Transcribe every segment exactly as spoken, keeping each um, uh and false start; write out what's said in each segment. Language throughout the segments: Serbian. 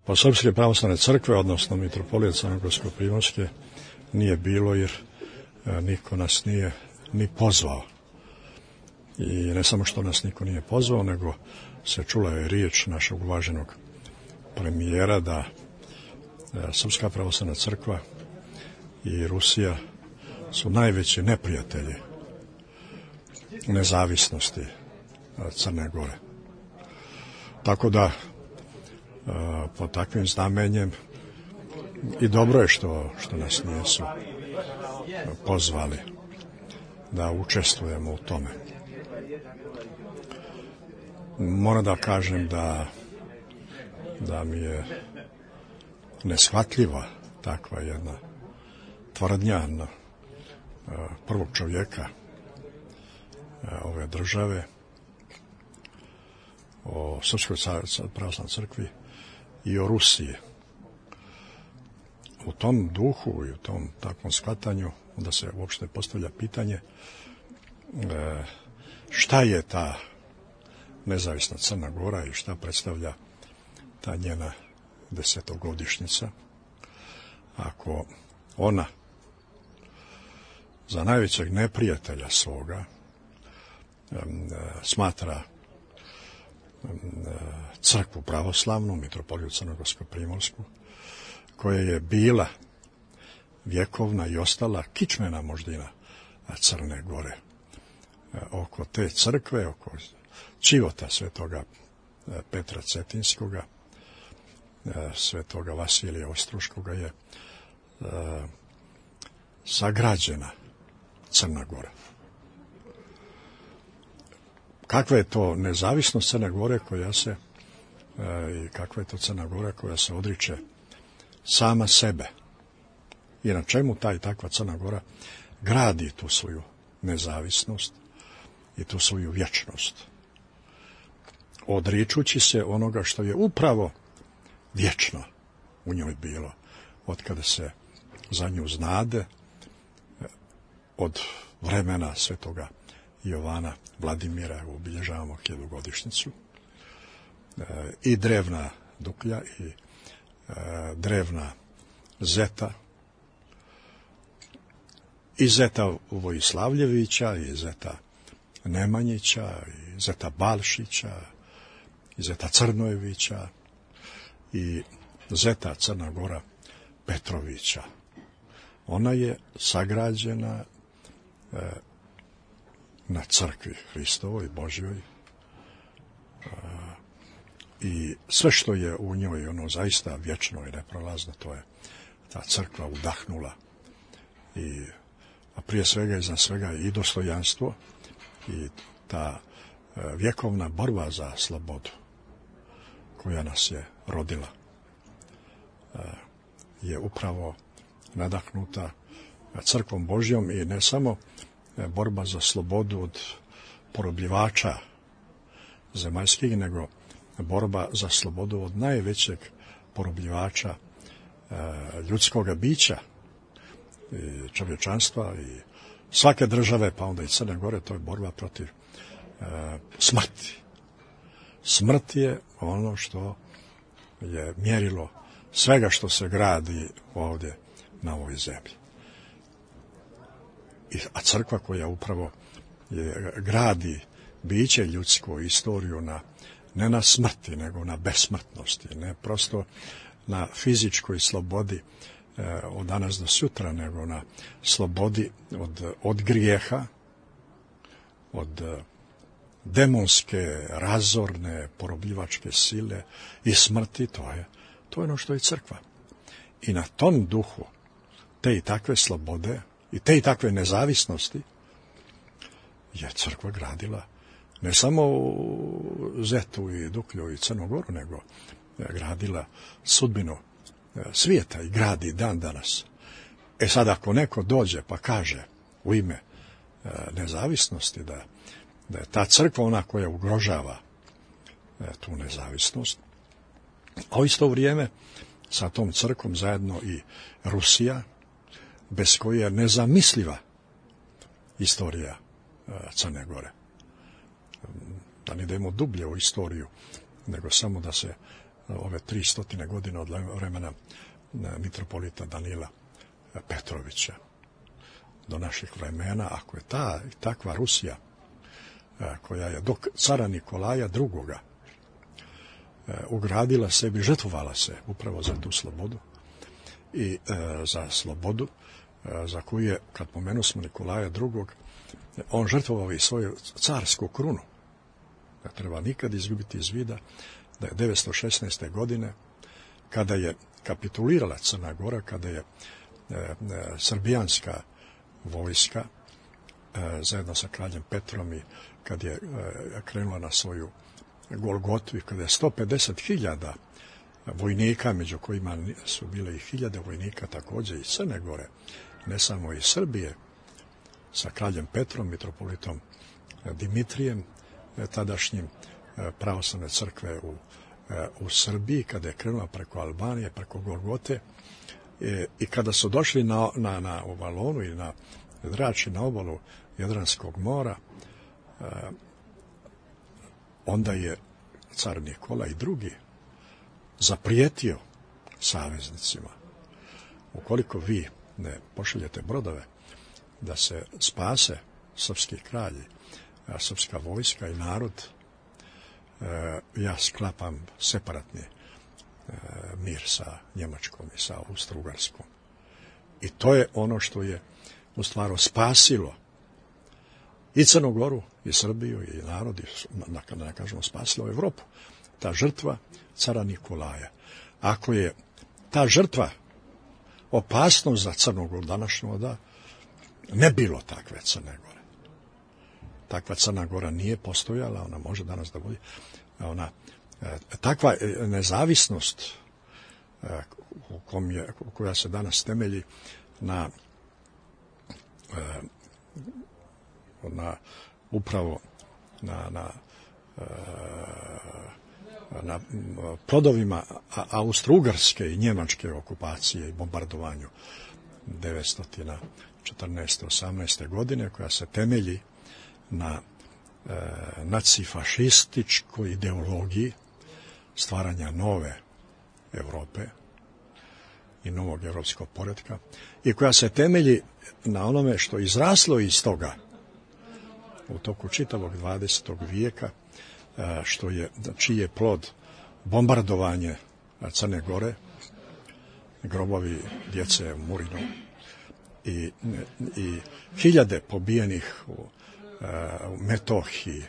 Pa Srpske pravoslavne crkve, odnosno mitropolije Crnogorsko-primorske, nije bilo jer niko nas nije ni pozvao. I ne samo što nas niko nije pozvao, nego se čula je riječ našeg uvaženog premijera da Srpska pravoslavna crkva i Rusija su najveći neprijatelji nezavisnosti Crne Gore. Tako da pod takvim znamenjem i dobro je što, što nas nisu pozvali da učestvujemo u tome. Moram da kažem da, da mi je neshvatljiva takva jedna tvrdnja prvog čovjeka ove države o Srpskoj pravoslavnoj crkvi i o Rusiji. U tom duhu i u tom takvom shvatanju onda se uopšte postavlja pitanje šta je ta nezavisna Crna Gora i šta predstavlja ta njena desetogodišnjica, ako ona za najvećeg neprijatelja svoga smatra crkvu pravoslavnu, mitropoliju Crnogorsko-primorsku, koja je bila vjekovna i ostala kičmena moždina Crne Gore. Oko te crkve, oko čivota svetoga Petra Cetinskoga, svetoga Vasilija Ostruškoga je sagrađena Crna Gora. Kakva je to nezavisnost Crne Gore koja se i kakva je to Crna Gora koja se odriče sama sebe i na čemu ta i takva Crna Gora gradi tu svoju nezavisnost i tu svoju vječnost, odričući se onoga što je upravo vječno u njoj bilo od kada se za nju znade, od vremena svetoga Jovana Vladimira, obilježavamo hiljadugodišnjicu, i drevna Duklja i drevna Zeta, i Zeta Vojislavljevića, i Zeta Nemanjića, i Zeta Balšića, i Zeta Crnojevića, i Zeta Crna Gora Petrovića. Ona je sagrađena e, na crkvi Hristovoj, Božjoj, e, i sve što je u njoj ono zaista vječno i neprolazno, to je ta crkva udahnula i a prije svega i za svega i dostojanstvo i ta e, vjekovna borba za slobodu koja nas je rodila e, je upravo nadahnuta crkvom Božjom i ne samo borba za slobodu od porobljivača zemaljskih, nego borba za slobodu od najvećeg porobljivača e, ljudskoga bića i čovječanstva i svake države, pa onda i Crne Gore, to je borba protiv e, smrti. Smrt je ono što je mjerilo svega što se gradi ovdje na ovoj zemlji. I, a crkva koja upravo je, gradi biće ljudsko, istoriju na, ne na smrti, nego na besmrtnosti, ne prosto na fizičkoj slobodi e, od danas do sutra, nego na slobodi od, od grijeha, od demonske, razorne, porobljivačke sile i smrti, to je, to je ono što je crkva. I na tom duhu te i takve slobode i te i takve nezavisnosti je crkva gradila ne samo Zetu i Duklju i Crnu Goru, nego je gradila sudbinu svijeta i gradi dan danas. E sad, ako neko dođe pa kaže u ime nezavisnosti da, da je ta crkva ona koja ugrožava tu nezavisnost, a u isto vrijeme sa tom crkvom zajedno i Rusija, bez koje je nezamisliva istorija Crne Gore. Da ne idemo dublje u istoriju, nego samo da se ove tri stotine godine od vremena mitropolita Danila Petrovića do naših vremena, ako je ta takva Rusija koja je do cara Nikolaja drugoga ugradila sebi, žrtvovala se upravo za tu slobodu i e, za slobodu e, za koju je, kad pomenu smo Nikolaja drugog, on žrtvovao i svoju carsku krunu. Ne treba nikad izgubiti iz vida da je devetsto šesnaeste. godine, kada je kapitulirala Crna Gora, kada je e, e, srbijanska vojska e, zajedno sa kraljem Petrom i kad je e, krenula na svoju Golgotu i kada je sto pedeset hiljada vojnika, među kojima su bile i hiljade vojnika također iz Crne Gore, ne samo iz Srbije, sa kraljem Petrom, mitropolitom Dimitrijem, tadašnjim pravoslavne crkve u, u Srbiji, kada je krenula preko Albanije, preko Golgote, i kada su došli na, na, na Valonu i na Drač i na obalu Jadranskog mora, onda je car Nikola i drugi zaprijetio saveznicima: ukoliko vi ne pošaljete brodove da se spase srpski kralji, srpska vojska i narod, ja sklapam separatni mir sa Njemačkom i sa Austro-Ugarskom. I to je ono što je u stvari spasilo i Crnu Goru, i Srbiju, i narod, i, da ne kažemo, spasilo Evropu. Ta žrtva cara Nikolaja. Ako je ta žrtva opasnost za Crnu Goru današnju, da ne bilo takve Crne Gore. Takva Crna Gora nije postojala, ona može danas da bude. Ona, takva nezavisnost u kom je, koja se danas temelji na na upravo na, na, na plodovima austro-ugarske i njemačke okupacije i bombardovanju devetsto četrnaeste osamnaeste. godine, koja se temelji na e, nacifašističkoj ideologiji stvaranja nove Europe i novog europskog poretka, i koja se temelji na onome što je izraslo iz toga u toku čitavog dvadesetog vijeka, što je, čiji je plod bombardovanje Crne Gore, grobovi djece u Murinu i, i hiljade pobijenih u, u Metohiji,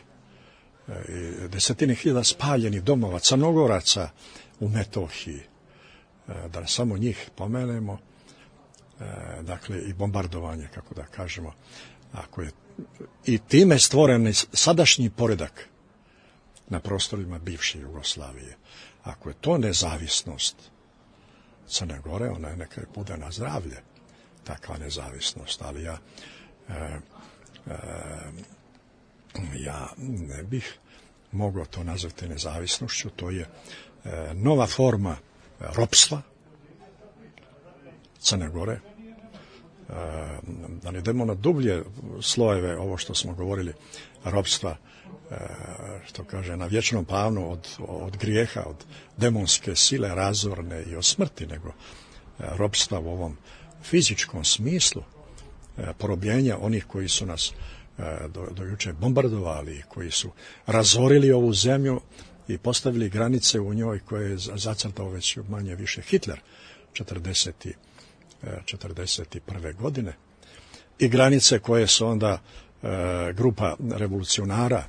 i desetine hiljada spaljenih domova Crnogoraca u Metohiji, da samo njih pomenemo, dakle i bombardovanje, kako da kažemo, ako je i time stvoren sadašnji poredak na prostorima bivše Jugoslavije. Ako je to nezavisnost Crne Gore, ona je neka bude na zdravlje, takva nezavisnost, ali ja e, e, ja ne bih mogao to nazvati nezavisnošću. To je e, nova forma ropstva Crne Gore. Da ne idemo na dublje slojeve, ovo što smo govorili, ropstva, što kaže, na vječnom planu od, od grijeha, od demonske sile razorne i od smrti, nego ropstva u ovom fizičkom smislu, porobljenja onih koji su nas do, do juče bombardovali, koji su razorili ovu zemlju i postavili granice u njoj koje je zacrtao već manje više Hitler četrdeset prve. godine, i granice koje su onda e, grupa revolucionara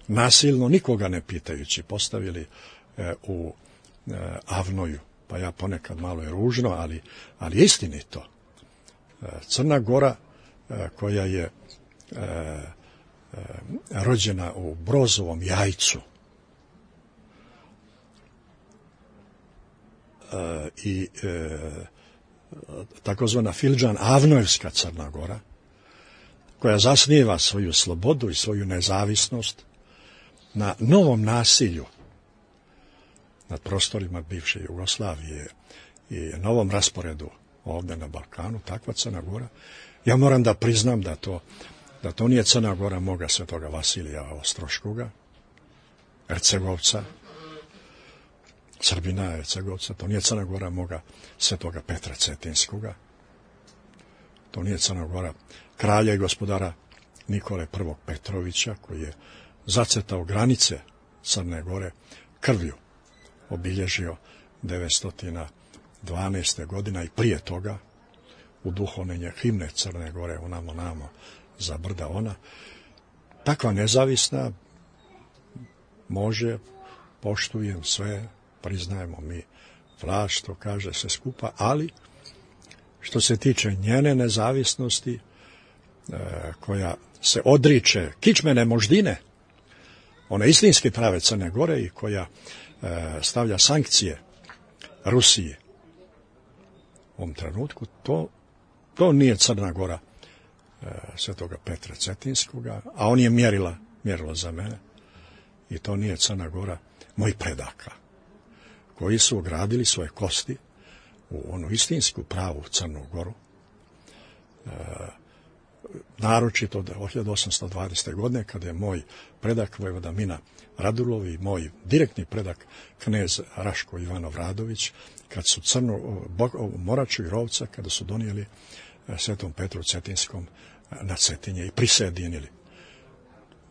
nasilno, nikoga ne pitajući, postavili e, u e, Avnoju. Pa ja ponekad malo je ružno, ali, ali istinito. E, Crna Gora, e, koja je e, e, rođena u Brozovom jajcu, e, i e, takozvana Filđan Avnojevska Crna Gora, koja zasniva svoju slobodu i svoju nezavisnost na novom nasilju nad prostorima bivše Jugoslavije i novom rasporedu ovdje na Balkanu, takva Crna Gora. Ja moram da priznam da to, da to nije Crna Gora moga svetoga Vasilija Ostroškoga, Hercegovca, Srbina, Hercegovca, to nije Crna Gora moga svetoga Petra Cetinskoga, to nije Crna Gora kralja i gospodara Nikole prvog Petrovića, koji je zacrtao granice Crne Gore krvlju, obilježio devetsto dvanaeste. godina i prije toga u duhovnenje himne Crne Gore, onamo namo za brda ona. Takva nezavisna može, poštujem sve, priznajemo mi vlast, što kaže se skupa, ali što se tiče njene nezavisnosti, e, koja se odriče kičmene moždine, one istinske prave Crne Gore i koja e, stavlja sankcije Rusiji u ovom trenutku, to, to nije Crna Gora e, svetoga Petra Cetinskoga, a on je mjerila, mjerilo za mene, i to nije Crna Gora mojih predaka, koji su ogradili svoje kosti u onu istinsku pravu Crnu Goru, e, naročito od hiljadu osamsto dvadesete. godine, kada je moj predak vojvoda Mina Radulov i moj direktni predak knez Raško Ivanov Radović, kad su Crnu, Moraču i Rovca, kada su donijeli svetom Petru Cetinskom na Cetinje i prisjedinili.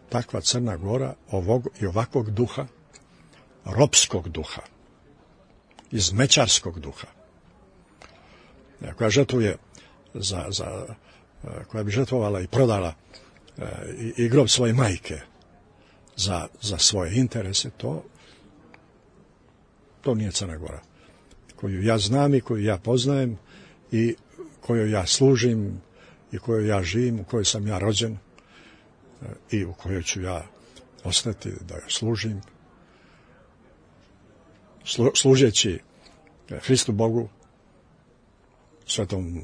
Takva Crna Gora ovog i ovakvog duha, ropskog duha, izmećarskog duha, koja žrtvuje za, za, koja bi žrtvovala i prodala i, i grob svoje majke za, za svoje interese, to, to nije Crna Gora koju ja znam i koju ja poznajem i kojoj ja služim i kojoj ja živim, u kojoj sam ja rođen i u kojoj ću ja ostati da joj služim, Slu, služeći Hristu Bogu, svetom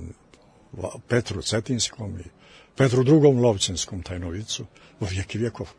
Petru Cetinskom i Petru drugom Lovćenskom tajnovicu u vijeki vjekov.